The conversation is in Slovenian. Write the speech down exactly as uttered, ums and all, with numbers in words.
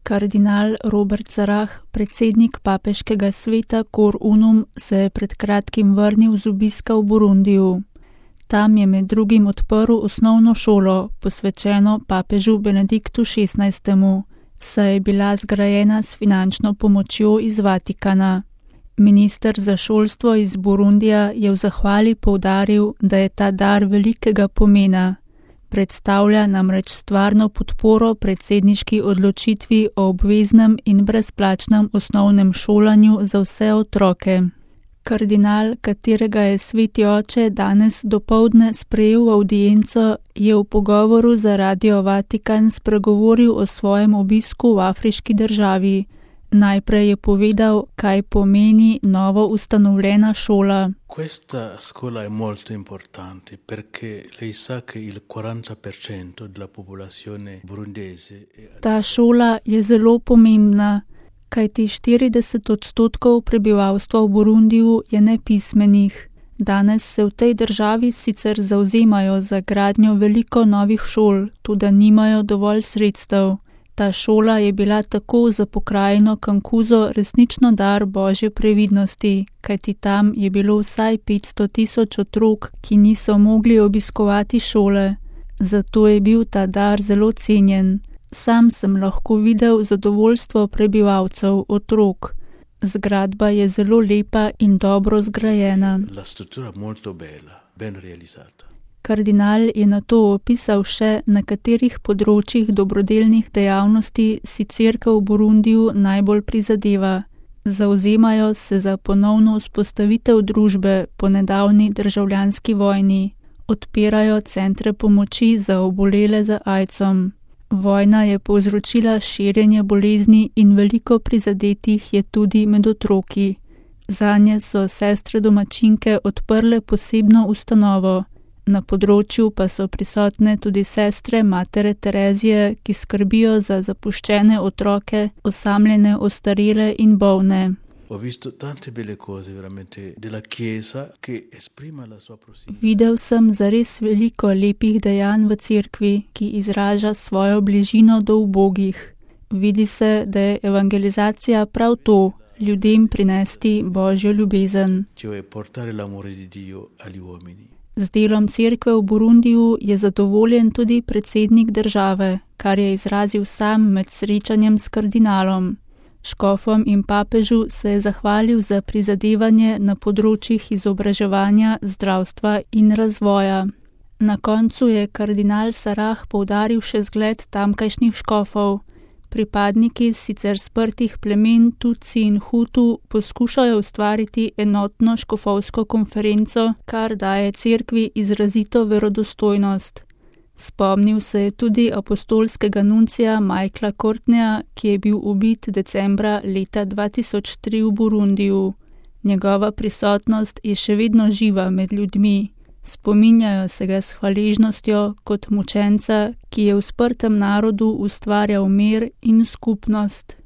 Kardinal Robert Sarah, predsednik papeškega sveta Cor Unum, se je pred kratkim vrnil z obiska v Burundiju. Tam je med drugim odprl osnovno šolo, posvečeno papežu Benediktu šestnajstemu, saj je bila zgrajena s finančno pomočjo iz Vatikana. Minister za šolstvo iz Burundija je v zahvali poudaril, da je ta dar velikega pomena. Predstavlja namreč stvarno podporo predsedniški odločitvi o obveznem in brezplačnem osnovnem šolanju za vse otroke. Kardinal, katerega je sveti oče danes dopoldne sprejel v avdienco, je v pogovoru za Radio Vatikan spregovoril o svojem obisku v afriški državi. Najprej je povedal, kaj pomeni novo ustanovljena šola. Questa scuola è molto importante perché lei sa che il quaranta per cento della popolazione burundese è... Ta šola je zelo pomembna, kajti štirideset odstotkov prebivalstva v Burundiju je nepismenih. Danes se v tej državi sicer zavzemajo za gradnjo veliko novih šol, tudi nimajo dovolj sredstev. Ta šola je bila tako za pokrajino Kankuzo resnično dar Božje previdnosti, kajti tam je bilo vsaj petsto tisoč otrok, ki niso mogli obiskovati šole. Zato je bil ta dar zelo cenjen. Sam sem lahko videl zadovoljstvo prebivalcev, otrok. Zgradba je zelo lepa in dobro zgrajena. La struttura molto bella, ben realizzata. Kardinal je nato opisal še, na katerih področjih dobrodelnih dejavnosti si cerkev v Burundiju najbolj prizadeva. Zavzemajo se za ponovno vzpostavitev družbe po nedavni državljanski vojni. Odpirajo centre pomoči za obolele za aidsom. Vojna je povzročila širjenje bolezni in veliko prizadetih je tudi med otroki. Zanje so sestre domačinke odprle posebno ustanovo. Na področju pa so prisotne tudi sestre Matere Terezije, ki skrbijo za zapuščene otroke, osamljene, ostarele in bolne. Videl sem zares veliko lepih dejanj v cerkvi, ki izraža svojo bližino do ubogih. Vidi se, da je evangelizacija prav to, ljudem prinesti Božjo ljubezen. Z delom cerkve v Burundiju je zadovoljen tudi predsednik države, kar je izrazil sam med srečanjem s kardinalom. Škofom in papežu se je zahvalil za prizadevanje na področjih izobraževanja, zdravstva in razvoja. Na koncu je kardinal Sarah poudaril še zgled tamkajšnjih škofov. Pripadniki sicer sprtih plemen Tutsi in Hutu poskušajo ustvariti enotno škofovsko konferenco, kar daje cerkvi izrazito verodostojnost. Spomnil se je tudi apostolskega nuncija Michaela Courtneya, ki je bil ubit decembra leta dva tisoč tri v Burundiju. Njegova prisotnost je še vedno živa med ljudmi. Spominjajo se ga s hvaležnostjo kot mučenca, ki je v sprtem narodu ustvarjal mir in skupnost.